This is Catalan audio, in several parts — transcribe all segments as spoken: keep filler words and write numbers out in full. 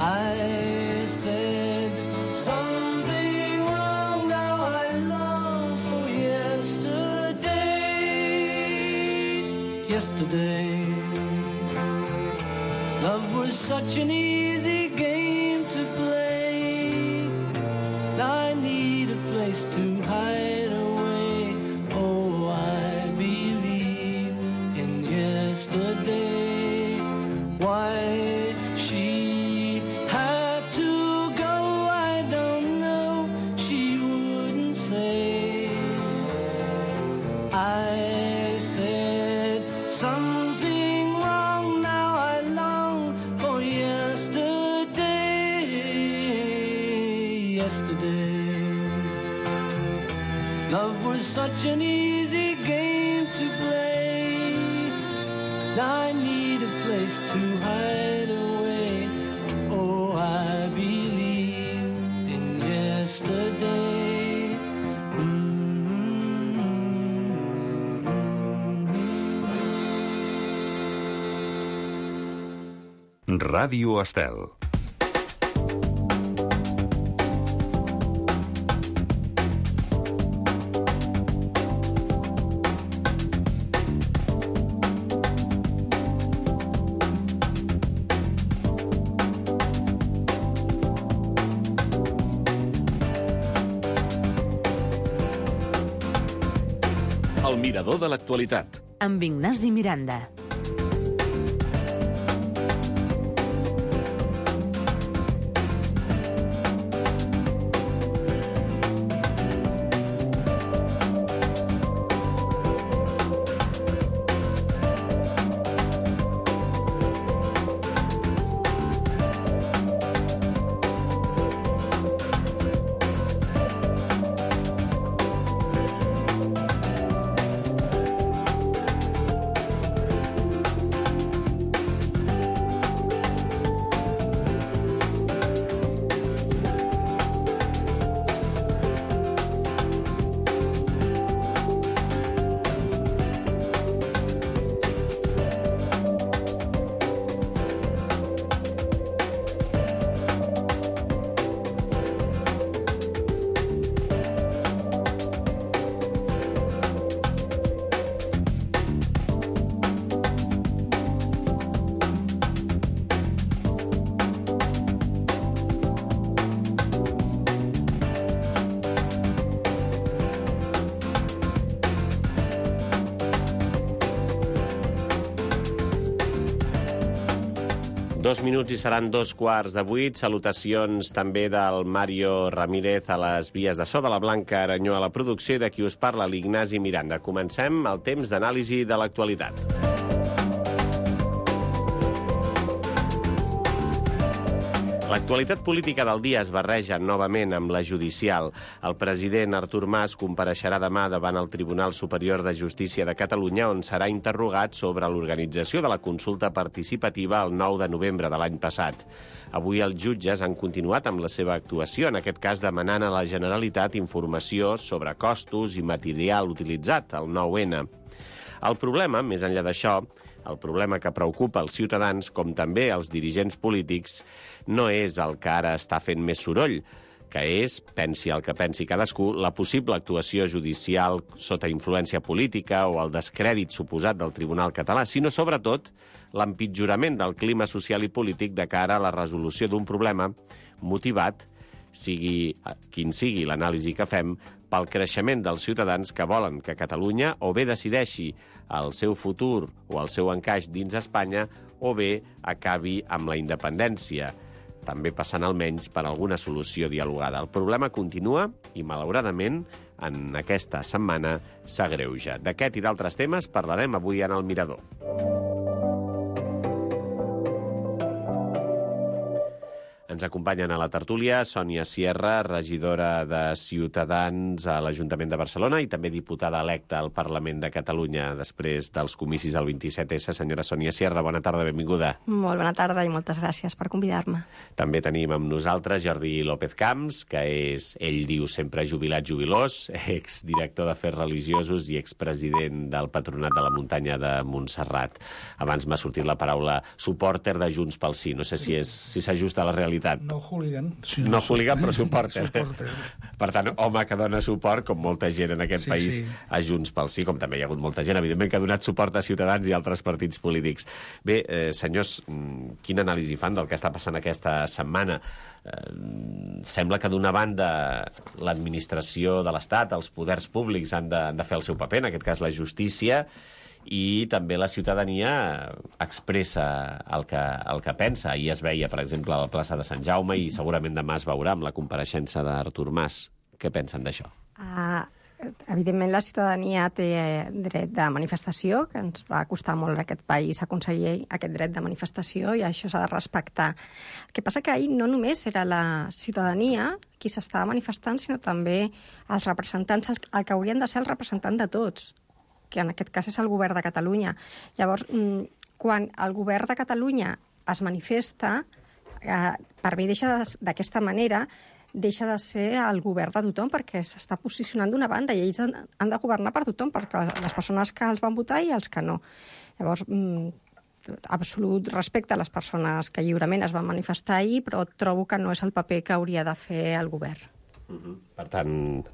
I said something wrong, now I long for yesterday. Yesterday, love was such an easy game to play. I need a place to hide away. Oh, I believe in yesterday. Why she had to go, I don't know. She wouldn't say. I said something wrong, now I long for yesterday. Yesterday, love was such an easy game to play. I need a place to hide away. Oh, I believe in yesterday. Mm-hmm. Ràdio Estel. El mirador de l'actualitat. Amb Ignasi Miranda. Dos minuts i seran dos quarts de vuit. Salutacions també del Mario Ramírez a les vies de so, de la Blanca Aranyó a la producció i de qui us parla, l'Ignasi Miranda. Comencem el temps d'anàlisi de l'actualitat. L'actualitat política del dia es barreja novament amb la judicial. El president Artur Mas compareixerà demà davant el Tribunal Superior de Justícia de Catalunya, on serà interrogat sobre l'organització de la consulta participativa el nou de novembre de l'any passat. Avui els jutges han continuat amb la seva actuació, en aquest cas demanant a la Generalitat informació sobre costos i material utilitzat, el nou ene. El problema, més enllà d'això, el problema que preocupa els ciutadans, com també els dirigents polítics, no és el que ara està fent més soroll, que és, pensi el que pensi cadascú, la possible actuació judicial sota influència política o el descrèdit suposat del Tribunal català, sinó sobretot l'empitjorament del clima social i polític de cara a la resolució d'un problema motivat, sigui quin sigui l'anàlisi que fem, pel creixement dels ciutadans que volen que Catalunya o bé decideixi el seu futur o el seu encaix dins Espanya o bé acabi amb la independència, també passant almenys per alguna solució dialogada. El problema continua i, malauradament, en aquesta setmana s'agreuja. D'aquest i d'altres temes parlarem avui en el Mirador. Ens acompanyen a la tertúlia Sònia Sierra, regidora de Ciutadans a l'Ajuntament de Barcelona i també diputada electa al Parlament de Catalunya després dels comicis del vint-i-set essa. Senyora Sònia Sierra, bona tarda, benvinguda. Molt bona tarda i moltes gràcies per convidar-me. També tenim amb nosaltres Jordi López Camps, que és, ell diu, sempre jubilat jubilós, exdirector d'Afers Religiosos i expresident del Patronat de la Muntanya de Montserrat. Abans m'ha sortit la paraula supòrter de Junts pel Sí. No sé si és si s'ajusta a la realitat. No hooligan. Sí, no hooligan, però supòrter. supòrter. Per tant, home que dona suport, com molta gent en aquest sí, país, sí. a Junts pel Sí, com també hi ha hagut molta gent, evidentment, que ha donat suport a Ciutadans i altres partits polítics. Bé, eh, senyors, quina anàlisi fan del que està passant aquesta setmana? Eh, sembla que, d'una banda, l'administració de l'Estat, els poders públics han de, han de fer el seu paper, en aquest cas la justícia, i també la ciutadania expressa el que, el que pensa. Ahir es veia, per exemple, a la plaça de Sant Jaume i segurament demà es veurà amb la compareixença d'Artur Mas. Què pensen d'això? Uh, evidentment, la ciutadania té dret de manifestació, que ens va costar molt a aquest país aconseguir aquest dret de manifestació i això s'ha de respectar. El que passa que ahir no només era la ciutadania qui s'estava manifestant, sinó també els representants, el que haurien de ser el representant de tots, que en aquest cas és el govern de Catalunya. Llavors, quan el govern de Catalunya es manifesta, eh, per mi deixa d'aquesta manera, deixa de ser el govern de tothom, perquè s'està posicionant d'una banda i ells han, han de governar per tothom, perquè les persones que els van votar i els que no. Llavors, absolut respecte a les persones que lliurement es van manifestar ahir, però trobo que no és el paper que hauria de fer el govern. Uh-huh. Per tant,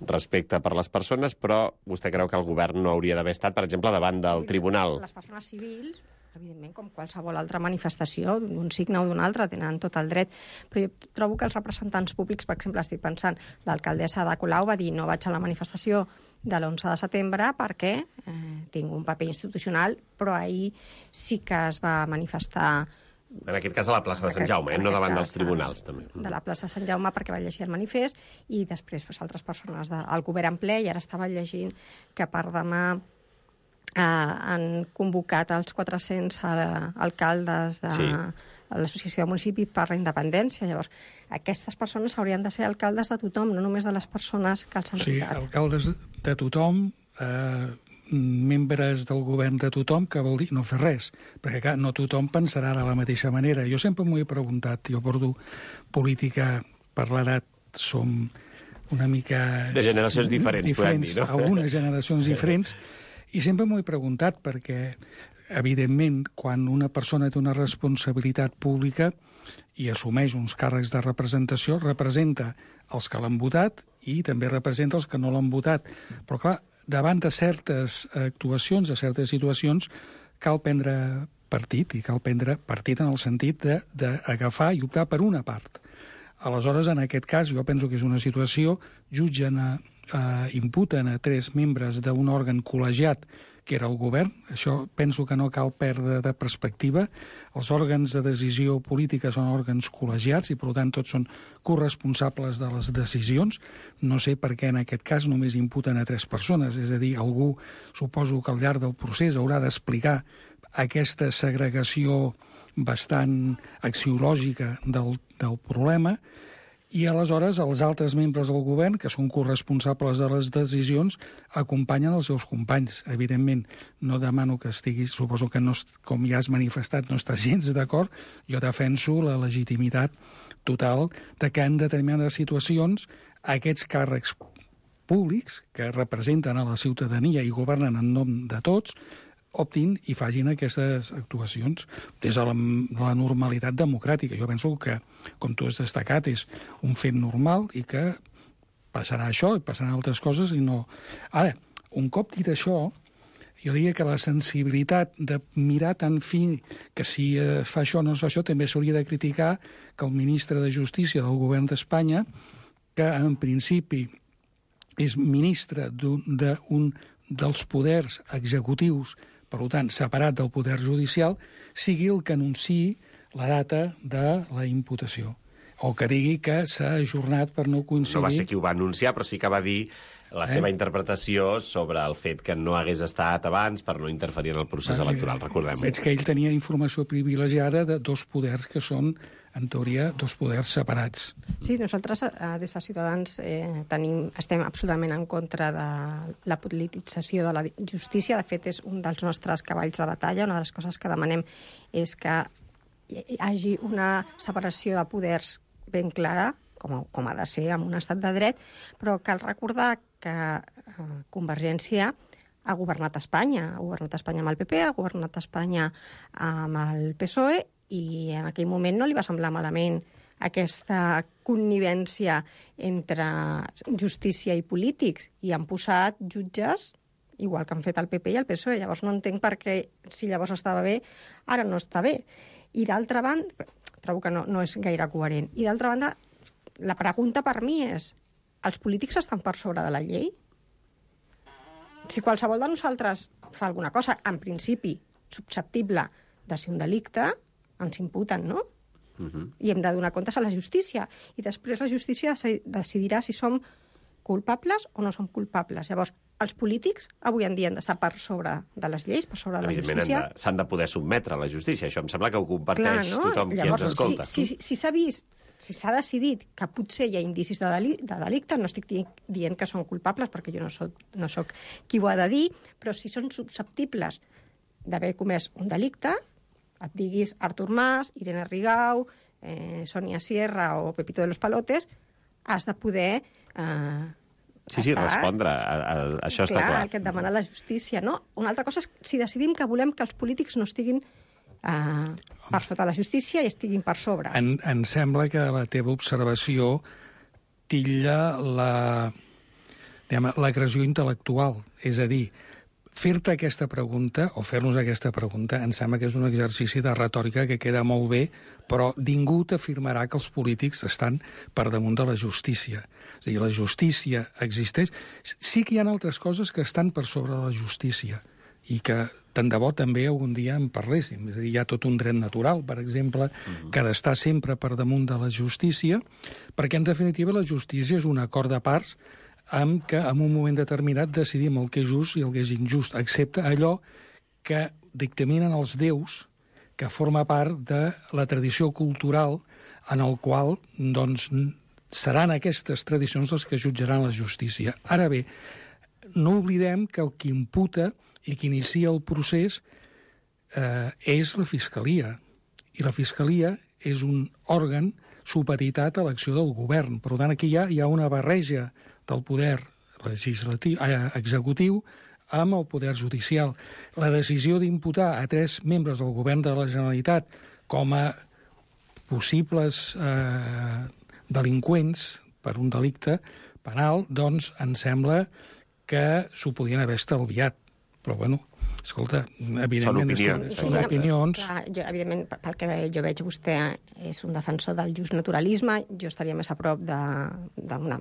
respecte per les persones, però vostè creu que el govern no hauria d'haver estat, per exemple, davant del tribunal? Les persones civils, evidentment, com qualsevol altra manifestació, d'un signe o d'un altre, tenen tot el dret. Però jo trobo que els representants públics, per exemple, estic pensant, l'alcaldessa de Colau va dir no vaig a la manifestació de l'onze de setembre perquè eh, tinc un paper institucional, però ahir sí que es va manifestar. En aquest cas a la plaça de Sant Jaume, eh? No davant dels tribunals, també. De la plaça de Sant Jaume perquè va llegir el manifest i després pues, altres persones del govern en ple i ara estava llegint que per demà eh, han convocat els quatre-cents alcaldes de sí. l'Associació de Municipis per la Independència. Llavors, aquestes persones haurien de ser alcaldes de tothom, no només de les persones que els han sí, votat. Sí, alcaldes de tothom, eh, membres del govern de tothom, que vol dir no fer res, perquè clar, no tothom pensarà de la mateixa manera. Jo sempre m'ho he preguntat, jo porto política per l'edat, som una mica... De generacions diferents, diferents podem dir, no? Algunes generacions diferents, i sempre m'ho he preguntat perquè, evidentment, quan una persona té una responsabilitat pública i assumeix uns càrrecs de representació, representa els que l'han votat i també representa els que no l'han votat. Però clar, davant de certes actuacions, de certes situacions, cal prendre partit, i cal prendre partit en el sentit d'agafar i optar per una part. Aleshores, en aquest cas, jo penso que és una situació, jutgen, a, a, imputen a tres membres d'un òrgan col·legiat, que era el govern. Això penso que no cal perdre de perspectiva. Els òrgans de decisió política són òrgans col·legiats i, per tant, tots són corresponsables de les decisions. No sé per què en aquest cas només imputen a tres persones. És a dir, algú, suposo que al llarg del procés haurà d'explicar aquesta segregació bastant axiològica del, del problema, i aleshores els altres membres del govern, que són corresponsables de les decisions, acompanyen els seus companys. Evidentment, no demano que estiguis, suposo que no, com ja has manifestat, no estàs gens d'acord, jo defenso la legitimitat total de que en determinades situacions aquests càrrecs públics que representen a la ciutadania i governen en nom de tots, optin i facin aquestes actuacions des de la, la normalitat democràtica. Jo penso que, com tu has destacat, és un fet normal i que passarà això i passaran altres coses i no... Ara, un cop dit això, jo diria que la sensibilitat de mirar tan fi que si eh, fa això o no es fa això, també s'hauria de criticar que el ministre de Justícia del govern d'Espanya, que en principi és ministre d'un de dels poders executius, per tant, separat del poder judicial, sigui el que anunciï la data de la imputació. O que digui que s'ha ajornat per no coincidir... No va ser qui ho va anunciar, però sí que va dir la seva eh? interpretació sobre el fet que no hagués estat abans per no interferir en el procés ah, electoral, recordem-ho. Veig que ell tenia informació privilegiada de dos poders que són, en teoria, dos poders separats. Sí, nosaltres eh, des de Ciutadans eh, tenim, estem absolutament en contra de la politització de la justícia. De fet, és un dels nostres cavalls de batalla. Una de les coses que demanem és que hi hagi una separació de poders ben clara, com, com ha de ser en un estat de dret, però cal recordar que eh, Convergència ha governat Espanya. Ha governat Espanya amb el P P, ha governat Espanya amb el P S O E, i en aquell moment no li va semblar malament aquesta connivència entre justícia i polítics, i han posat jutges igual que han fet el P P i el P S O E. Llavors no entenc per què, si llavors estava bé, ara no està bé. I d'altra banda, trobo que no, no és gaire coherent. I d'altra banda, la pregunta per mi és, els polítics estan per sobre de la llei? Si qualsevol de nosaltres fa alguna cosa, en principi, susceptible de ser un delicte, ens imputen, no? Uh-huh. I hem de donar comptes a la justícia. I després la justícia decidirà si som culpables o no som culpables. Llavors, els polítics avui en dia han d'estar per sobre de les lleis, per sobre de la justícia. S'han de poder sotmetre a la justícia. Això em sembla que ho comparteix Clar, no? tothom Llavors, qui ens escolta. Si, si, si s'ha vist, si s'ha decidit que potser hi ha indicis de, deli de delicte, no estic di dient que són culpables, perquè jo no soc, no soc qui ho ha de dir, però si són susceptibles d'haver comès un delicte, et diguis Artur Mas, Irene Rigau, eh, Sonia Sierra o Pepito de los Palotes, has de poder... Eh, sí, sí, estar... respondre. A, a, això clar, està clar. El que et demana la justícia, no? Una altra cosa és si decidim que volem que els polítics no estiguin eh, per sota la justícia i estiguin per sobre. En, em sembla que la teva observació tilla la, l'agressió intel·lectual. És a dir, fer-te aquesta pregunta, o fer-nos aquesta pregunta, em sembla que és un exercici de retòrica que queda molt bé, però ningú t'afirmarà que els polítics estan per damunt de la justícia. És a dir, la justícia existeix. Sí que hi ha altres coses que estan per sobre de la justícia i que tant de bo també algun dia en parléssim. És a dir, hi ha tot un dret natural, per exemple, uh-huh. que ha d'estar sempre per damunt de la justícia, perquè en definitiva la justícia és un acord de parts amb que en un moment determinat decidim el que és just i el que és injust, excepte allò que dictaminen els déus, que forma part de la tradició cultural en el qual doncs, seran aquestes tradicions les que jutjaran la justícia. Ara bé, no oblidem que el que imputa i que inicia el procés eh, és la Fiscalia. I la Fiscalia és un òrgan supeditat a l'acció del govern. Per tant, aquí hi ha, hi ha una barreja del poder legislatiu, eh, executiu amb el poder judicial. La decisió d'imputar a tres membres del govern de la Generalitat com a possibles eh, delinqüents per un delicte penal, doncs em sembla que s'ho podien haver estalviat. Però, bueno, escolta, evidentment... Són opinions. Són opinions. Clar, jo, evidentment, pel que jo veig, vostè és un defensor del justnaturalisme, jo estaria més a prop d'una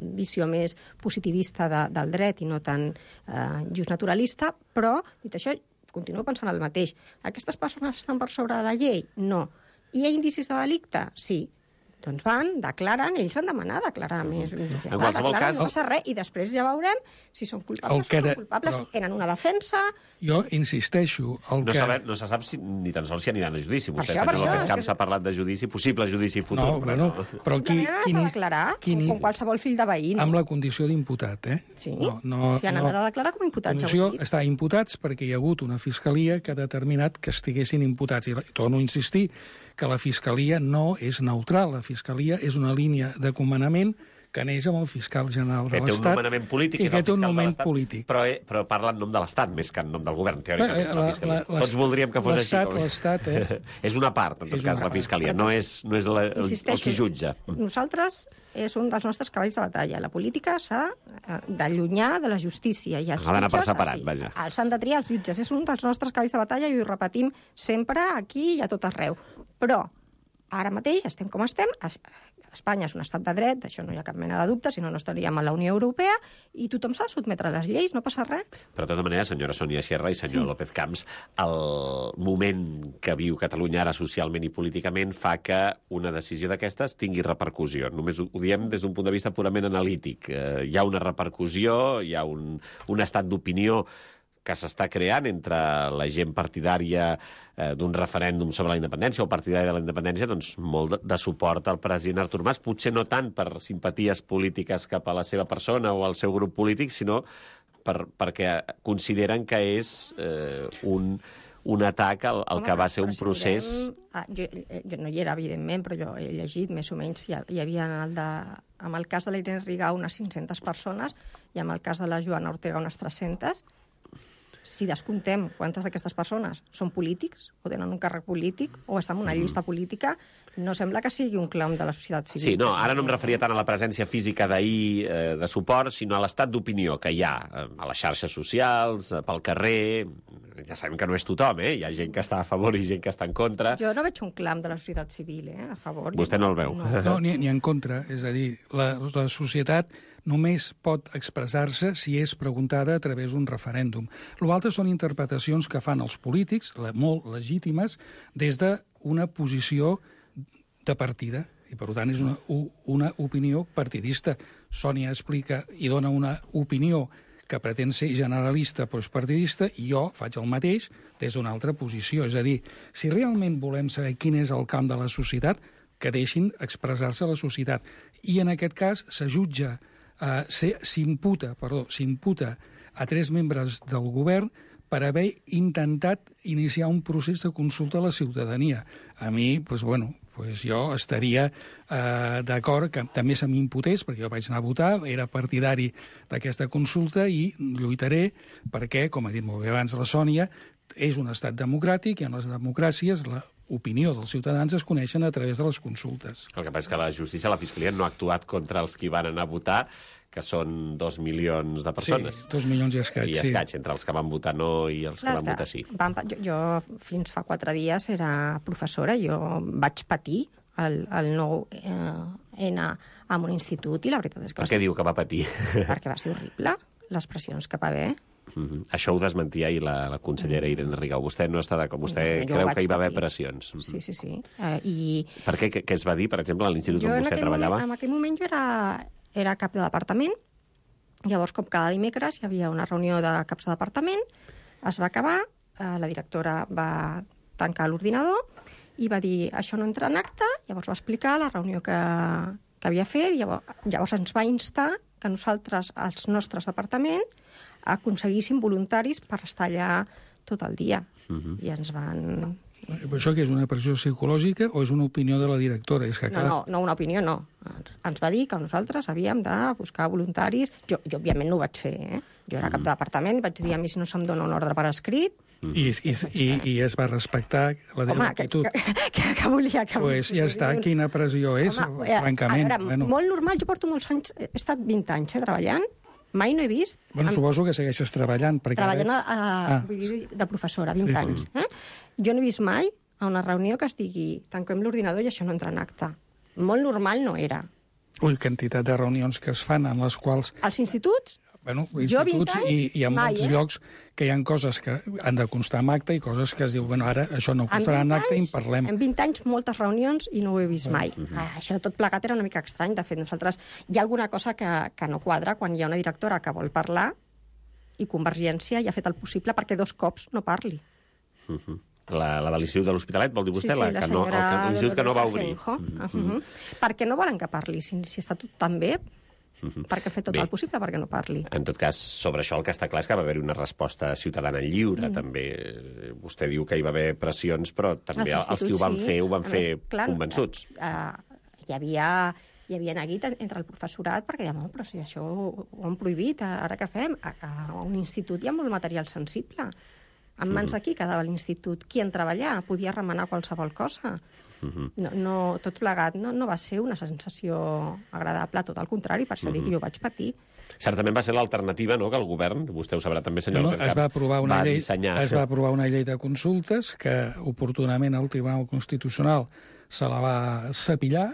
visió més positivista de, del dret i no tan eh, justnaturalista, però, dit això, continuo pensant el mateix. Aquestes persones estan per sobre de la llei? No. Hi ha indicis de delicte? Sí. Doncs van, declaren, ells van demanar declarar més. Ja en està, qualsevol declaren, cas... no passa res, i després ja veurem si són culpables o no culpables. Però... Tenen una defensa... Jo insisteixo... El no, que... sabe, no se sap si, ni tan sols si aniran a judici. Vostè això, sap que en aquest camp que... s'ha parlat de judici, possible judici futur. No, però bueno, no. però qui, qui, qui, declarar, quin, com qualsevol fill de veí. No? Amb la condició d'imputat, eh? Sí, no, no, si han no. anat a declarar com imputats. Condició està imputats perquè hi ha hagut una fiscalia que ha determinat que estiguessin imputats. I torno a insistir que la Fiscalia no és neutral. La Fiscalia és una línia de comandament que neix amb el fiscal general de l'Estat. Que té un nomenament polític, i és el fiscal de l'Estat, polític. Però, eh, però parla en nom de l'Estat, més que en nom del govern, teòricament. Eh, la, la, la, Tots voldríem que fos així. L'Estat, eh? És una part, en tot cas, la Fiscalia. No és, no és la, el, el qui jutja. Nosaltres és un dels nostres cavalls de batalla. La política s'ha d'allunyar de la justícia. I els ha d'anar per jutges, separat, sí, vaja. Els han de triar els jutges. És un dels nostres cavalls de batalla i ho repetim sempre aquí i a tot arreu. Però ara mateix estem com estem, Espanya és un estat de dret, d'això no hi ha cap mena de dubte, si no, no estaríem a la Unió Europea, i tothom s'ha de sotmetre a les lleis, no passa res. Però, de tota manera, senyora Sònia Sierra i senyor sí. López Camps, el moment que viu Catalunya ara socialment i políticament fa que una decisió d'aquestes tingui repercussió. Només ho, ho diem des d'un punt de vista purament analític. Eh, hi ha una repercussió, hi ha un, un estat d'opinió que s'està creant entre la gent partidària eh, d'un referèndum sobre la independència o partidària de la independència, doncs molt de, de suport al president Artur Mas, potser no tant per simpaties polítiques cap a la seva persona o al seu grup polític, sinó per, perquè consideren que és eh, un, un atac al, al Home, que va ser un si procés... Mirem, ah, jo, jo no hi era, evidentment, però jo he llegit, més o menys, hi, hi havia en el, de, en el cas de la Irene Rigau unes cinc-centes persones i en el cas de la Joana Ortega unes tres-centes. Si descomptem quantes d'aquestes persones són polítics o tenen un càrrec polític o estan en una llista política, no sembla que sigui un clam de la societat civil. Sí, no, ara no em referia tant a la presència física d'ahir eh, de suport, sinó a l'estat d'opinió que hi ha eh, a les xarxes socials, eh, pel carrer. Ja sabem que no és tothom, eh? Hi ha gent que està a favor i gent que està en contra. Jo no veig un clam de la societat civil, eh? A favor. Vostè no el veu. No, no ni, ni en contra. És a dir, la, la societat només pot expressar-se si és preguntada a través d'un referèndum. L'altre són interpretacions que fan els polítics, molt legítimes, des d'una posició de partida. I, per tant, és una, una opinió partidista. Sònia explica i dona una opinió que pretén ser generalista però és partidista, i jo faig el mateix des d'una altra posició. És a dir, si realment volem saber quin és el camp de la societat, que deixin expressar-se a la societat. I en aquest cas se jutja Uh, s'imputa, perdó, s'imputa a tres membres del govern per haver intentat iniciar un procés de consulta a la ciutadania. A mi, pues, bueno, pues jo estaria uh, d'acord que també se m'imputés, perquè jo vaig anar a votar, era partidari d'aquesta consulta i lluitaré perquè, com ha dit molt bé abans la Sònia, és un estat democràtic i en les democràcies la opinió dels ciutadans es coneixen a través de les consultes. El que passa és que la justícia, la Fiscalia, no ha actuat contra els qui van anar a votar, que són dos milions de persones. Sí, dos milions i escaig, I escaig, sí. Entre els que van votar no i els Clar, que van votar sí. Van, jo, jo fins fa quatre dies era professora, jo vaig patir el, el nou eh, N en un institut i la veritat és que... Per què diu que va patir? Perquè va ser horrible, les pressions que va haver. Mm-hmm. Això ho desmentia ahir la, la consellera Irene Rigau. Vostè no està d'acord, vostè no, creu que hi va haver pressions. Sí, sí, sí. Uh, i... Per què? Què es va dir, per exemple, a l'institut on vostè treballava? Moment, en aquell moment jo era, era cap de departament, llavors com cada dimecres hi havia una reunió de caps de departament, es va acabar, uh, la directora va tancar l'ordinador i va dir, això no entra en acte, llavors va explicar la reunió que, que havia fet, llavors, llavors ens va instar que nosaltres, els nostres departaments, aconseguissin voluntaris per estar allà tot el dia. Uh-huh. I ens van... Això que és una pressió psicològica o és una opinió de la directora? És que, clar... No, no, no, una opinió no. Ens va dir que nosaltres havíem de buscar voluntaris. Jo, jo òbviament, no ho vaig fer, eh? Jo era cap de departament, vaig dir a mi si no se'm dona un ordre per escrit... I, i, i, i es va respectar la Home, actitud. Que, que, que, que volia que... Pues ja està, quina pressió és, Home, francament. A veure, bueno. Molt normal, jo porto molts anys, he estat vint anys eh, treballant, mai no he vist... Bueno, amb... suposo que segueixes treballant. Treballant a, a, ah. vull dir, de professora, vint sí, anys. Sí. Eh? Jo no he vist mai a una reunió que es digui tanquem l'ordinador i això no entra en acte. Molt normal no era. Ui, quantitat de reunions que es fan en les quals... Als instituts? Bueno, instituts anys, i, i en mai, molts eh? llocs que hi ha coses que han de constar en acte i coses que es diu, bueno, ara això no constarà en acte i en parlem. En vint anys, moltes reunions i no ho he vist mai. Uh-huh. Ah, això tot plegat era una mica estrany. De fet, nosaltres hi ha alguna cosa que, que no quadra quan hi ha una directora que vol parlar i Convergència ja ha fet el possible perquè dos cops no parli. Uh-huh. La, la de l'Institut de l'Hospitalet, vol dir vostè? Sí, sí, la, la que no, el, l'institut que no va obrir. Uh-huh. Uh-huh. Perquè no volen que parli. Si, si està tot tan bé, uh-huh. perquè ha fet tot Bé. el possible perquè no parli. En tot cas, sobre això el que està clar és que va haver-hi una resposta ciutadana lliure. Mm. També vostè diu que hi va haver pressions, però també els, els qui ho van sí. fer ho van a fer més, clar, convençuts. Uh, hi havia... hi havia neguit entre el professorat perquè dèiem, oh, però si això ho, ho han prohibit, ara què fem? A, a un institut hi ha molt material sensible. En mans de qui quedava l'institut? Qui en treballar? Podia remenar qualsevol cosa. Uh-huh. No, no, tot plegat no, no va ser una sensació agradable, tot al contrari, per això uh-huh. dic que jo vaig patir. Certament va ser l'alternativa, no?, que el govern, vostè ho sabrà també, senyor no, López es va aprovar una va llei, dissenyar. Es va aprovar una llei de consultes que, oportunament, el Tribunal Constitucional se la va cepillar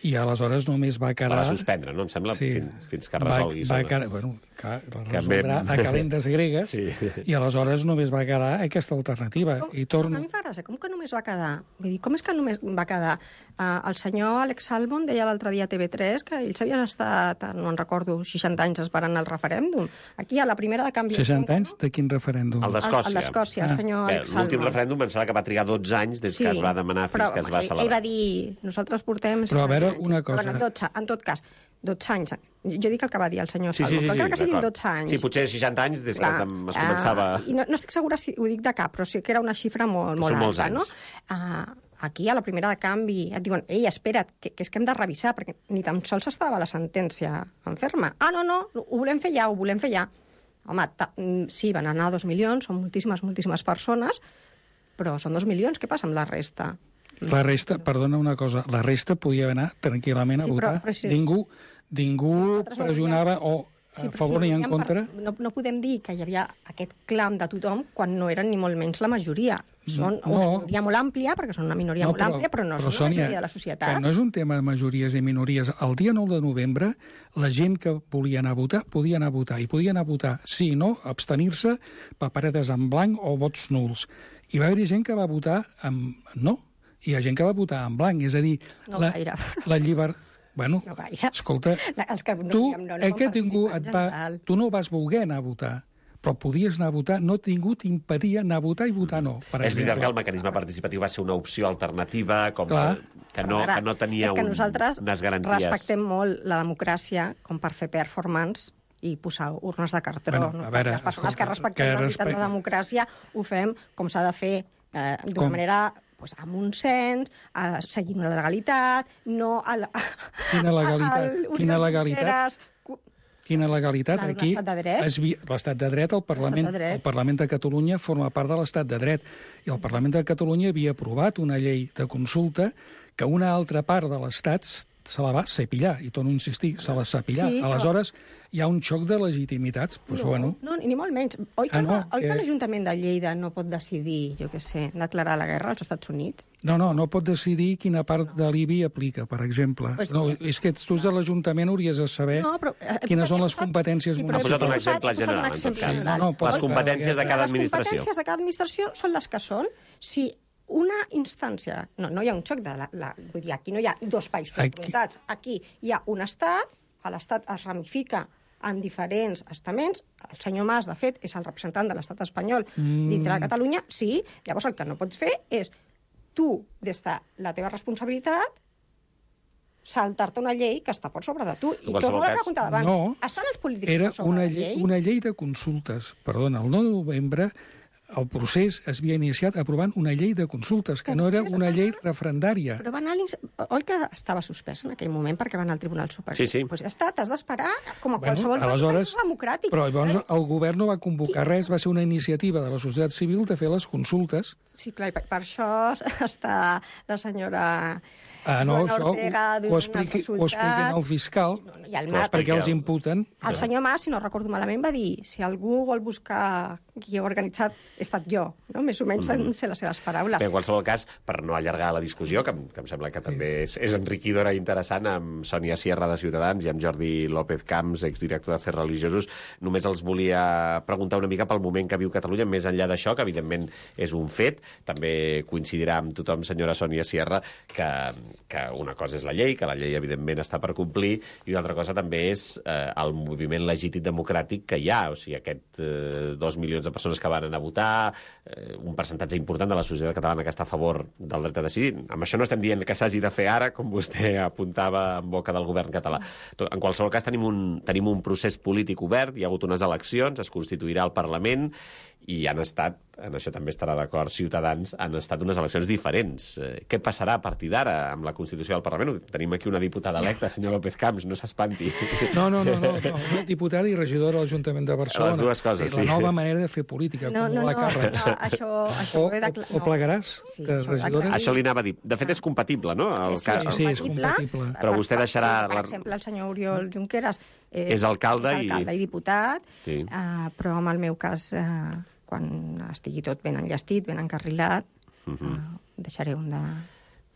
i aleshores només va quedar... La va suspendre, no? Em sembla, sí. fins, fins que resolgui. Va, va quedar, bueno, clar, la resoldrà a calendes gregues, sí. I aleshores només va quedar aquesta alternativa. Com, I torno... A mi em fa gràcia, com que només va quedar? Vull dir, com és que només va quedar? Uh, el senyor Alex Salmond deia l'altre dia a T V tres que ells havien estat, no en recordo, seixanta anys esperant el referèndum. Aquí, a la primera de canvi... seixanta anys? De quin referèndum? El d'Escòcia. El d'Escòcia, el senyor ah. Alex Salmond. L'últim referèndum em sembla que va trigar dotze anys des sí, que es va demanar fins però, que es va celebrar. Ell va dir, nosaltres portem... Però a veure, una cosa... Bueno, dotze, en tot cas, dotze anys. Jo dic el que va dir el senyor sí, Salmond, sí, sí, però crec sí, que siguin dotze anys. Sí, potser seixanta anys des Clar, que es començava... Uh, I no, no estic segura si ho dic de cap, però sí que era una xifra molt, molt alta, no? Uh, aquí, a la primera de canvi, et diuen, ei, espera't, que, que és que hem de revisar, perquè ni tan sols estava la sentència en ferma. Ah, no, no, ho volem fer ja, ho volem fer ja. Home, sí, van anar dos milions, són moltíssimes, moltíssimes persones, però són dos milions, què passa amb la resta? La resta, perdona una cosa, la resta podia anar tranquil·lament a sí, votar. Però, però sí. Ningú, ningú sí, pressionava o... Sí, a favor si ni en contra? Per, no, no podem dir que hi havia aquest clam de tothom quan no eren ni molt menys la majoria. Són no, una minoria molt àmplia, perquè són una minoria no, molt però, àmplia, però no però, són Sònia, la majoria de la societat. Que no és un tema de majories i minories. El dia nou de novembre, la gent que volia anar a votar, podia anar a votar. I podia anar a votar sí, no, abstenir-se, paperetes en blanc o vots nuls. I va haver gent que va votar amb no, i hi ha gent que va votar en blanc. És a dir, no la, la llibertat... Bueno, no escolta, la, els que no, tu, no, no, eh, que ningú et va, tu no vas voler anar a votar, però podies anar a votar, no ningú t'impedia anar a votar i votar no. Per és veritat que el mecanisme participatiu va ser una opció alternativa, com a, que, no, ara, que no tenia és que un, nosaltres unes garanties. Respectem molt la democràcia com per fer performance i posar urnes de cartró. Bueno, no? a veure, les persones escolta, que respectem que la veritat respect... de la democràcia ho fem com s'ha de fer, eh, d'una manera... Pues amb un cens, a seguir una legalitat, no a la... Quina legalitat? A, a, Quina legalitat? Quina legalitat? Aquí, l'estat de dret. L'estat de dret, el Parlament, de dret. El Parlament de Catalunya forma part de l'estat de dret. I el Parlament de Catalunya havia aprovat una llei de consulta que una altra part de l'Estat se la va cepillar, i torno a insistir, se la cepillar. Sí, aleshores, però... hi ha un xoc de legitimitats. Pues, no, bueno. no, ni molt menys. Oi que, ah, no, oi que... que l'Ajuntament de Lleida no pot decidir, jo què sé, declarar la guerra als Estats Units? No, no, no pot decidir quina part de l'I B I aplica, per exemple. Pues, no, és que tu de l'Ajuntament hauries de saber no, però, eh, quines són les competències sí, municipals. Ha posat un exemple general, en tot cas. No, no, les competències de cada administració. Les competències de cada administració són les que són. Si una instància... No, no hi ha un xoc de... La, la, vull dir, aquí no hi ha dos països enfrontats. Aquí hi ha un estat, l'estat es ramifica en diferents estaments. El senyor Mas, de fet, és el representant de l'estat espanyol mm. dintre de Catalunya. Sí, llavors el que no pots fer és tu, des de la teva responsabilitat, saltar-te una llei que està per sobre de tu. I torno a la pregunta davant. No, estan els polítics era per sobre una de la llei? Una llei de consultes. Perdona, el nou de novembre el procés es havia iniciat aprovant una llei de consultes, que no era una llei referendària. Però va anar oi que estava suspès en aquell moment perquè va anar al Tribunal Superior? Sí, sí. Pues ja està, t'has d'esperar com a bueno, qualsevol aleshores, país democràtic. Però llavors el govern no va convocar res, va ser una iniciativa de la societat civil de fer les consultes. Sí, clar, per, per això està la senyora... Ah, no, Joana això Ortega ho, ho, expliqui, ho expliquen al fiscal, i el Mas, perquè els imputen. El senyor Mas, si no recordo malament, va dir si algú vol buscar qui ha organitzat, he estat jo. No? Més o menys van ser les seves paraules. Bé, en qualsevol cas, per no allargar la discussió, que, que em sembla que també és, és enriquidora i interessant, amb Sònia Sierra de Ciutadans i amb Jordi López Camps, exdirector d'Afers Religiosos, només els volia preguntar una mica pel moment que viu Catalunya, més enllà d'això, que evidentment és un fet. També coincidirà amb tothom, senyora Sònia Sierra, que, que una cosa és la llei, que la llei evidentment està per complir, i una altra cosa també és eh, el moviment legítim democràtic que hi ha, o sigui, aquest eh, dos milions de persones que van anar a votar, eh, un percentatge important de la societat catalana que està a favor del dret a decidir. Amb això no estem dient que s'hagi de fer ara, com vostè apuntava en boca del govern català. En qualsevol cas, tenim un, tenim un procés polític obert, hi ha hagut unes eleccions, es constituirà el Parlament, i han estat, en això també estarà d'acord Ciutadans, han estat unes eleccions diferents. Eh, què passarà a partir d'ara amb la Constitució del Parlament? Tenim aquí una diputada electa, senyor López Camps, no s'espanti. No, no, no, no, no, una diputada i regidora de l'Ajuntament de Barcelona. Les dues coses, sí. La sí. nova manera de fer política, no, no, acumular no, càrrecs. No, això, això o, o, o plegaràs sí, de regidora? Això li anava a dir. De fet, és compatible, no? El sí, cas... sí, és compatible. Però vostè deixarà... Sí, per exemple, el senyor Oriol Junqueras eh, és alcalde, és alcalde i... i diputat, sí. uh, però en el meu cas... Uh, quan estigui tot ben enllestit, ben encarrilat, uh -huh. uh, deixaré un de...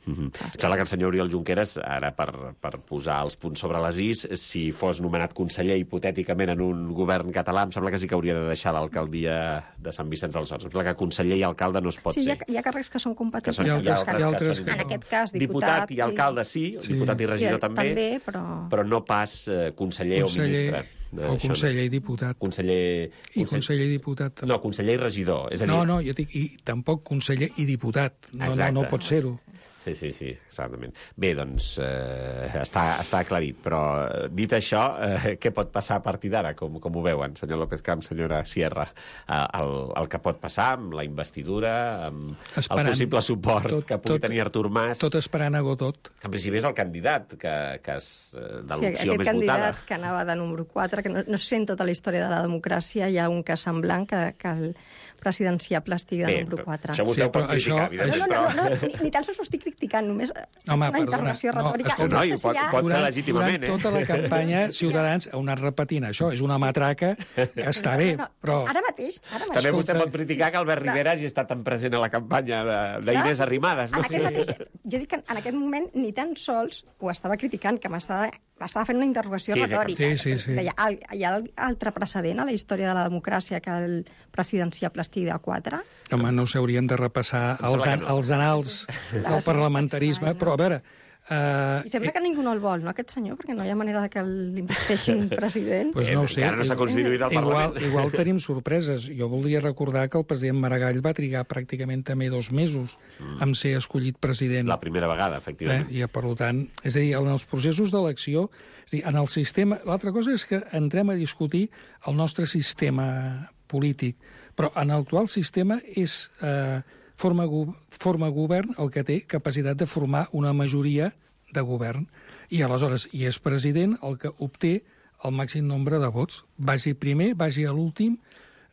Mm-hmm. Sembla que el senyor Oriol Junqueras, ara per, per posar els punts sobre les is, si fos nomenat conseller hipotèticament en un govern català, em sembla que sí que hauria de deixar l'alcaldia de Sant Vicenç dels Horts. Em sembla que conseller i alcalde no es pot sí, ser. hi ha, hi ha càrrecs que són compatibles. Que són, hi ha altres, altres hi ha altres que que en no. aquest cas, diputat, diputat i alcalde sí, Sí. diputat i regidor I- també, també, però... però no pas eh, conseller, o ministre. o Això conseller i diputat. No. Conseller... I conseller i diputat. No, conseller i regidor. És a dir, No, no, jo dic, i tampoc conseller i diputat. No, no, Exacte. no pot ser-ho. Sí, sí, sí, exactament. Bé, doncs, eh, està, està aclarit, però eh, dit això, eh, què pot passar a partir d'ara, com, com ho veuen, senyor López Camps, senyora Sierra? Eh, el, el que pot passar amb la investidura, amb Esperant. el possible suport Tot- que pugui tot- tenir Artur Mas, Tot esperant a Godot. que en principi és el candidat que, que és eh, de Sí, l'opció aquest més candidat votada. que anava de número quatre, que no, no sé si en tota la història de la democràcia hi ha un cas semblant que, que el presidenciable estigui de Bé, número quatre. això vostè Sí, ho pot però criticar, això- No, evidentment, no, no, però... no, no, ni, ni tan sols ho estic criticant, només Home, una perdona, intervenció no, retòrica. escolta, No, i sé ho pot- hi ha- pot fer Durant, legítimament, durant eh? tota la campanya, Ciutadans ha anat repetint això. És una matraca que està bé, No, no, però... Ara mateix, ara mateix. També vostè Escolta. pot criticar que Albert Rivera hagi estat tan present a la campanya de- d'Inés Clar, sí, sí. Arrimadas, no? En aquest mateix, jo dic que en aquest moment ni tan sols ho estava criticant, que m'estava m'estava fent una interrogació Sí, retòrica. sí, sí, sí. Deia, "Al- hi ha altre precedent a la història de la democràcia que el presidenciable estigui de quatre? Home, no s'haurien de repassar Em els, sembla an que no. els anals del Clar, parlamentarisme, estrany, no? però a veure... Uh, I sembla que ningú no el vol, no, aquest senyor? Perquè no hi ha manera de que l'investeixin president. Pues Eh, no ho sé. encara no s'ha constituït el igual, Parlament. igual tenim sorpreses. Jo voldria recordar que el president Maragall va trigar pràcticament també dos mesos mm. en ser escollit president. La primera vegada, Eh? efectivament. I, per tant, és a dir, en els processos d'elecció, és a dir, en el sistema... L'altra cosa és que entrem a discutir el nostre sistema polític, però en l'actual sistema és eh, forma, go forma govern el que té capacitat de formar una majoria de govern. I aleshores, i és president el que obté el màxim nombre de vots. Vagi primer, vagi a l'últim,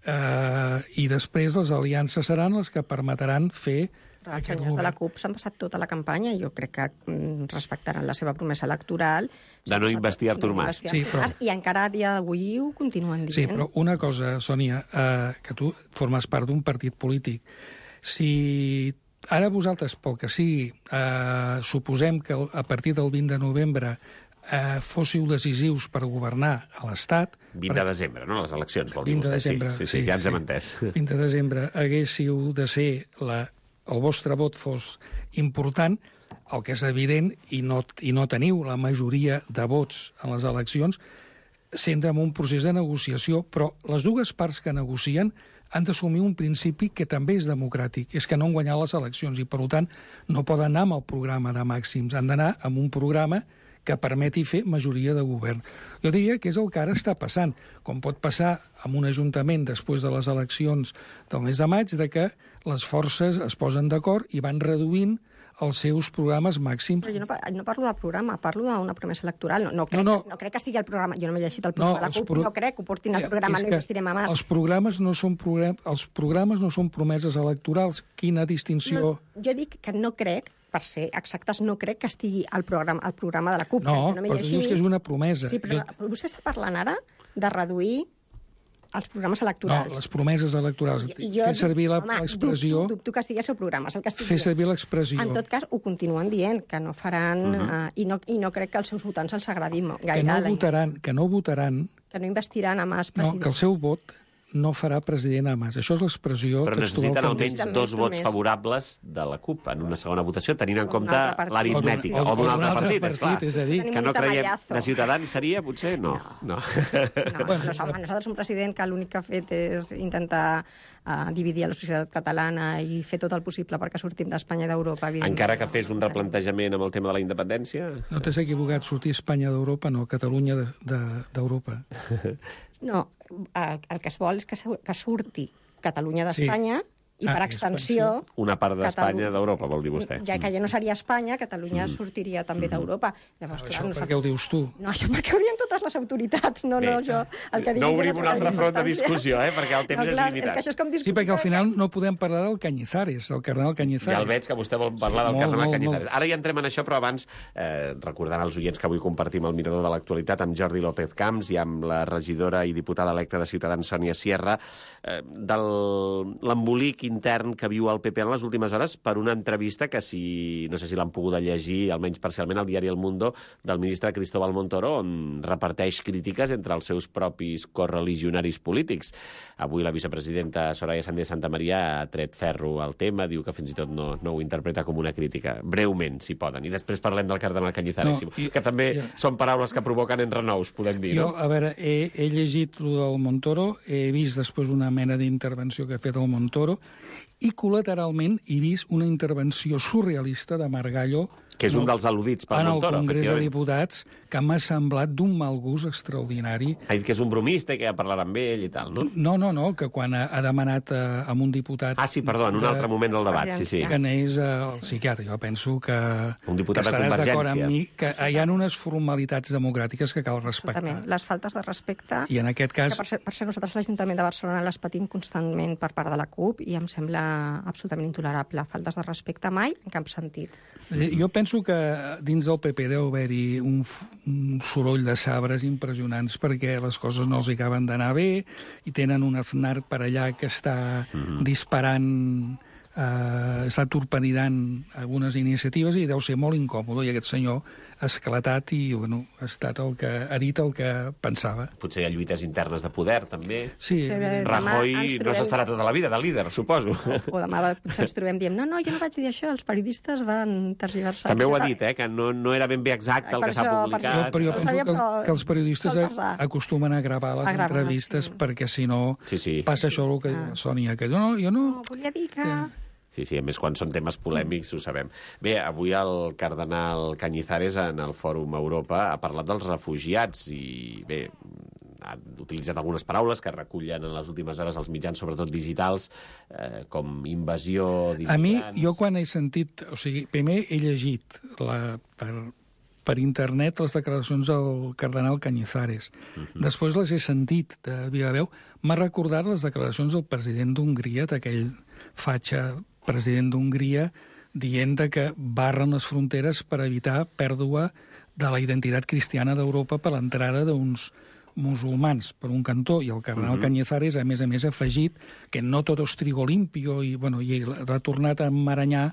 eh, i després les aliances seran les que permetran fer Però els aquest senyors de la govern. CUP s'han passat tota la campanya i jo crec que mm, respectaran la seva promesa electoral. De no investir Artur De no Mas. investir Sí, Artur però- Mas, I encara a dia d'avui ho continuen dient. Sí, però una cosa, Sònia, eh, que tu formes part d'un partit polític. Si ara vosaltres, pel que sigui, eh, suposem que a partir del vint de novembre eh, fóssiu decisius per governar a l'Estat... vint de desembre, no? Les eleccions, vol dir vint de vostè. desembre, Sí, sí, sí, ja ens hem entès. vint de desembre haguéssiu de ser la, el vostre vot fos important, el que és evident, i no, i no teniu la majoria de vots en les eleccions, s'entra en un procés de negociació, però les dues parts que negocien han d'assumir un principi que també és democràtic, és que no han guanyat les eleccions i, per tant, no poden anar amb el programa de màxims, han d'anar amb un programa que permeti fer majoria de govern. Jo diria que és el que ara està passant, com pot passar amb un ajuntament després de les eleccions del mes de maig, de que les forces es posen d'acord i van reduint els seus programes màxims. Però jo no, pa- no parlo de programa, parlo d'una promesa electoral. No, no, crec, No, no, no. no. no crec que estigui al programa. Jo no m'he llegit el programa de la els CUP, pro- no crec que ho portin al Ja, programa, és no que investirem a Mas. Els programes no són, program... els programes no són promeses electorals. Quina distinció... No, jo dic que no crec, per ser exactes, no crec que estigui al programa, al programa de la CUP. No, que no m'he però tu dius llegit. que és una promesa. Sí, però, Jo- però vostè està parlant ara de reduir els programes No, electorals. les promeses electorals. I jo Fer servir la- home, l'expressió... Dubto, dubto que estigui al seu programa, és el que estic Fer dient. servir l'expressió. En tot cas, ho continuen dient, que no faran... Uh Mhm. -huh. uh, i, no, I no crec que als seus votants els agradi mo- que gaire. no la- votaran, que no votaran, que no investiran a Mas no, president. que el seu vot no farà president a Mas. Això és l'expressió Però textual necessiten que almenys diu. També, dos vots només. favorables de la CUP en una segona votació, tenint en d'un compte altre partit. l'aritmètica. O d'un- O d'un o altre d'un altre partit, és clar. partit, és a dir- Tenim Que no un creiem... tamallazo. De Ciutadans seria, potser? No. no. No, Bueno, no, home, nosaltres un president que l'únic que ha fet és intentar uh, dividir a la societat catalana i fer tot el possible perquè sortim d'Espanya i d'Europa. evidentment. Encara que fes un replantejament amb el tema de la independència? No t'has equivocat, sortir Espanya d'Europa, no, Catalunya d'Europa. De, No, eh, el que es vol és que, su- que surti Catalunya Sí. d'Espanya i Ah, per extensió... Una part d'Espanya Catalu- d'Europa, vol dir vostè. Ja que ja no seria Espanya, Catalunya sortiria també d'Europa. Llavors, clar, Això per nosaltres... què ho dius tu? No, això perquè ho diuen totes les autoritats, no, Bé, no, jo... El que digui no jo obrim té un altre gaire front de importància. discussió, eh, perquè el temps no, és clar, limitat. És que això és com Sí, discutir... perquè al final no podem parlar del Cañizares, del cardenal Cañizares. Ja el veig que vostè vol parlar Sí, del molt, carnaval molt, Cañizares. molt. Ara ja entrem en això, però abans, eh, recordant als oients que avui compartim el mirador de l'actualitat amb Jordi López Camps i amb la regidora i diputada electa de Ciutadans, Sònia Sierra, eh, de l'embolic intern que viu el P P en les últimes hores per una entrevista que, si no sé si l'han pogut llegir, almenys parcialment, al diari El Mundo, del ministre Cristóbal Montoro, on reparteix crítiques entre els seus propis correligionaris polítics. Avui la vicepresidenta Soraya Sáenz de Santamaría ha tret ferro al tema, diu que fins i tot no, no ho interpreta com una crítica. Breument, si poden. I després parlem del cardenal Cañizares, no, i, que també ja. són paraules que provoquen enrenous, podem dir, jo, no? A veure, he, he llegit el del Montoro, he vist després una mena d'intervenció que ha fet el Montoro, i col·lateralment he vist una intervenció surrealista de Margallo, que és un dels al·ludits per Montoro, en el Congrés de Diputats, que m'ha semblat d'un mal gust extraordinari. Ha dit que és un bromista i que ja parlarà amb ell i tal, no? No, no, no, que quan ha, ha demanat a, a un diputat... Ah, sí, perdó, en un de, altre moment del debat, sí, sí. Que anés al psiquiatre. Jo penso que, un diputat que estaràs d'acord amb mi, que sí, hi ha unes formalitats democràtiques que cal respectar. Absolutament. Les faltes de respecte... I en aquest cas... Que per ser, per ser nosaltres l'Ajuntament de Barcelona les patim constantment per part de la CUP i em sembla absolutament intolerable. Faltes de respecte mai, en cap sentit. Jo penso que dins del P P deu haver-hi un, un soroll de sabres impressionants perquè les coses no els acaben d'anar bé i tenen un Aznar per allà que està mm-hmm. disparant, eh, està torpedinant algunes iniciatives i deu ser molt incòmode, i aquest senyor ha esclatat i bueno, ha estat el que ha dit el que pensava. Potser hi ha lluites internes de poder, també. Sí. Sí, de, Rajoy trobem... no s'estarà tota la vida de líder, suposo. O, o demà potser ens trobem dient no, no, jo no vaig dir això, els periodistes van tergiversar. També ho ha dit, eh, que no, no era ben bé exacte el per que s'ha publicat. Jo, però jo penso sabia, que, però... que els periodistes acostumen a gravar les a gravar, entrevistes sí. perquè si no sí, sí. passa això el que ah. Sònia, que no, jo no... No, volia dir que... Sí. Sí, sí, a més, quan són temes polèmics, ho sabem. Bé, avui el cardenal Cañizares en el Fòrum Europa ha parlat dels refugiats i, bé, ha utilitzat algunes paraules que recullen en les últimes hores els mitjans, sobretot digitals, eh, com invasió d'immigrants... A mi, jo quan he sentit... O sigui, primer he llegit la, per, per internet les declaracions del cardenal Cañizares. Uh-huh. Després les he sentit de viva veu. M'ha recordat les declaracions del president d'Hongria, d'aquell fatxa president d'Hongria, dient que barren les fronteres per evitar pèrdua de la identitat cristiana d'Europa per l'entrada d'uns musulmans, per un cantó, i el cardenal uh-huh. Cañizares, a més a més, ha afegit que no tot és trigo limpio, i, bueno, i ha tornat a emmaranyar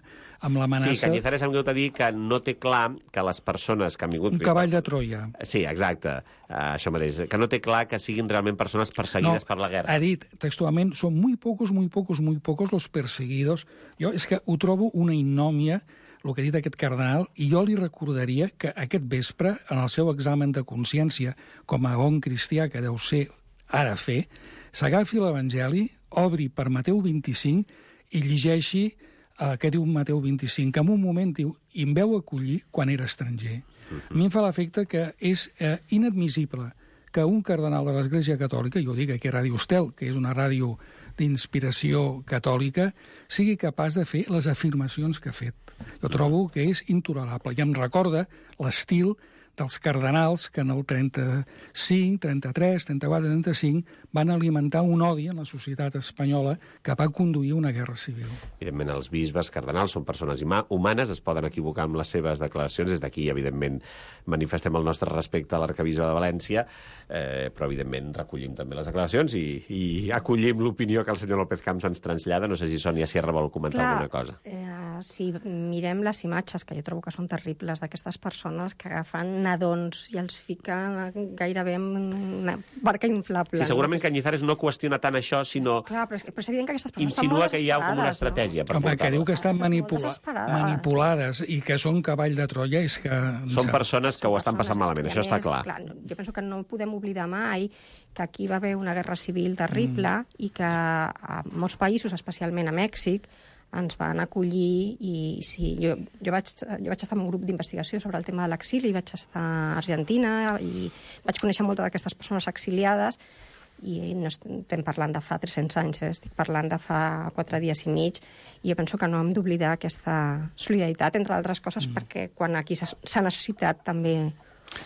amb l'amenaça... Sí, Cañizares ha vingut a dir que no té clar que les persones que han vingut... Un cavall de Troia. Sí, exacte, uh, això mateix. Que no té clar que siguin realment persones perseguides no, per la guerra. Ha dit textualment, són muy pocos, muy pocos, muy pocos los perseguidos. Jo és que ho trobo una innòmia, el que ha dit aquest cardenal, i jo li recordaria que aquest vespre, en el seu examen de consciència, com a bon cristià que deu ser ara fer, s'agafi l'Evangeli, obri per Mateu vint-i-cinc i llegeixi eh, què diu Mateu vint-i-cinc, que en un moment diu, i em veu acollir quan era estranger. Uh-huh. A mi em fa l'efecte que és eh, inadmissible que un cardenal de l'Església Catòlica, jo dic aquí a Ràdio Estel, que és una ràdio d'inspiració catòlica, sigui capaç de fer les afirmacions que ha fet. Jo trobo que és intolerable. I em recorda l'estil dels cardenals que en el trenta-cinc, trenta-tres, trenta-quatre, trenta-cinc van alimentar un odi en la societat espanyola que va conduir a una guerra civil. Evidentment, els bisbes cardinals són persones humanes, es poden equivocar amb les seves declaracions. Des d'aquí, evidentment, manifestem el nostre respecte a l'arcabisbe de València, eh, però, evidentment, recollim també les declaracions i, i acollim l'opinió que el senyor López Camps ens trasllada. No sé si Sònia Sierra vol comentar Clar, alguna cosa. Eh, si mirem les imatges, que jo trobo que són terribles, d'aquestes persones que agafen nadons i els fiquen gairebé en una barca inflable. Sí, segurament Cañizares no qüestiona tant això, sinó... Clar, però és, però és evident que aquestes persones insinua que hi ha com una estratègia. No? Per Home, que diu que estan manipula manipulades sí. i que són cavall de Troia, és que... Són persones que ho estan passant malament, això està clar. clar. Jo penso que no podem oblidar mai que aquí va haver una guerra civil terrible mm. i que a molts països, especialment a Mèxic, ens van acollir i sí, jo, jo, vaig, jo vaig estar en un grup d'investigació sobre el tema de l'exili, vaig estar a Argentina i vaig conèixer moltes d'aquestes persones exiliades i no estem parlant de fa tres-cents anys, eh? Estic parlant de fa quatre dies i mig i jo penso que no hem d'oblidar aquesta solidaritat, entre altres coses, mm. perquè quan aquí s'ha necessitat també...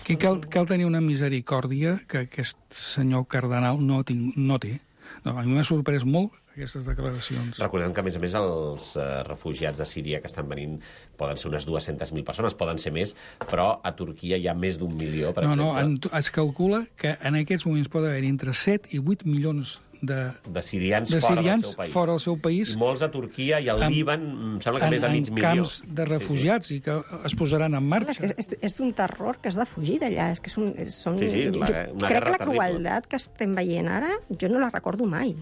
Aquí cal, cal tenir una misericòrdia que aquest senyor cardenal no, tinc, no té. No, a mi m'ha sorprès molt aquestes declaracions. Recordem que, a més a més, els uh, refugiats de Síria que estan venint poden ser unes dues-centes mil persones, poden ser més, però a Turquia hi ha més d'un milió, per no, exemple. No, en, es calcula que en aquests moments pot haver entre set i vuit milions de, de sirians, de fora, sirians del seu país. fora del seu país. I molts a Turquia i al en, Líban, em sembla que en, més de mig en milió. camps de refugiats, sí, sí. I que es posaran en marxa. És, és, és d'un terror que has de fugir d'allà. És que és un, són, Sí, sí, la, jo una crec guerra que la terrible. crueldat que estem veient ara, jo no la recordo mai.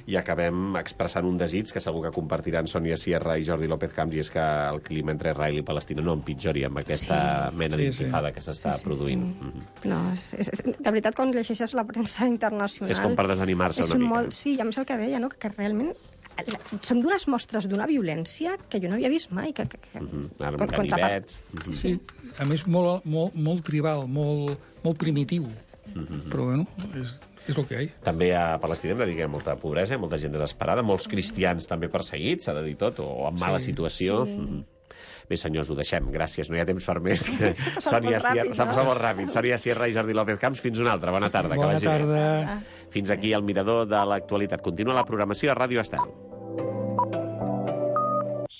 I acabem expressant un desig que segur que compartiran Sònia Sierra i Jordi López Camps, i és que el clima entre Israel i Palestina no empitjori amb aquesta Sí. mena Sí, d'intifada sí. que s'està Sí, sí, produint. sí. Mm. No, és, és, és, de veritat, quan llegeixes la premsa internacional... És com per desanimar-se és una mica. Molt, sí, i a més el que deia, no? que realment som d'unes mostres d'una violència que jo no havia vist mai. Que, que, que, Mm -hmm. Ara, contra- ganivets... Sí, Sí, a més, molt, molt, molt tribal, molt, molt primitiu. Mm -hmm. Però, bueno, és, és el que hi ha. També a Palestina hem de dir que hi ha molta pobresa, molta gent desesperada, molts cristians també perseguits, s'ha de dir tot, o en mala Sí. situació. Sí. Mm. Bé, senyors, ho deixem. Gràcies, no hi ha temps per més. passat Sònia molt ràpid, Sierra, s'ha no? passat molt ràpid. Sònia Sierra i Jordi López Camps, fins una altra. Bona tarda. que Bona vagi bé. tarda. Fins aquí el Mirador de l'actualitat. Continua la programació a Ràdio Estel.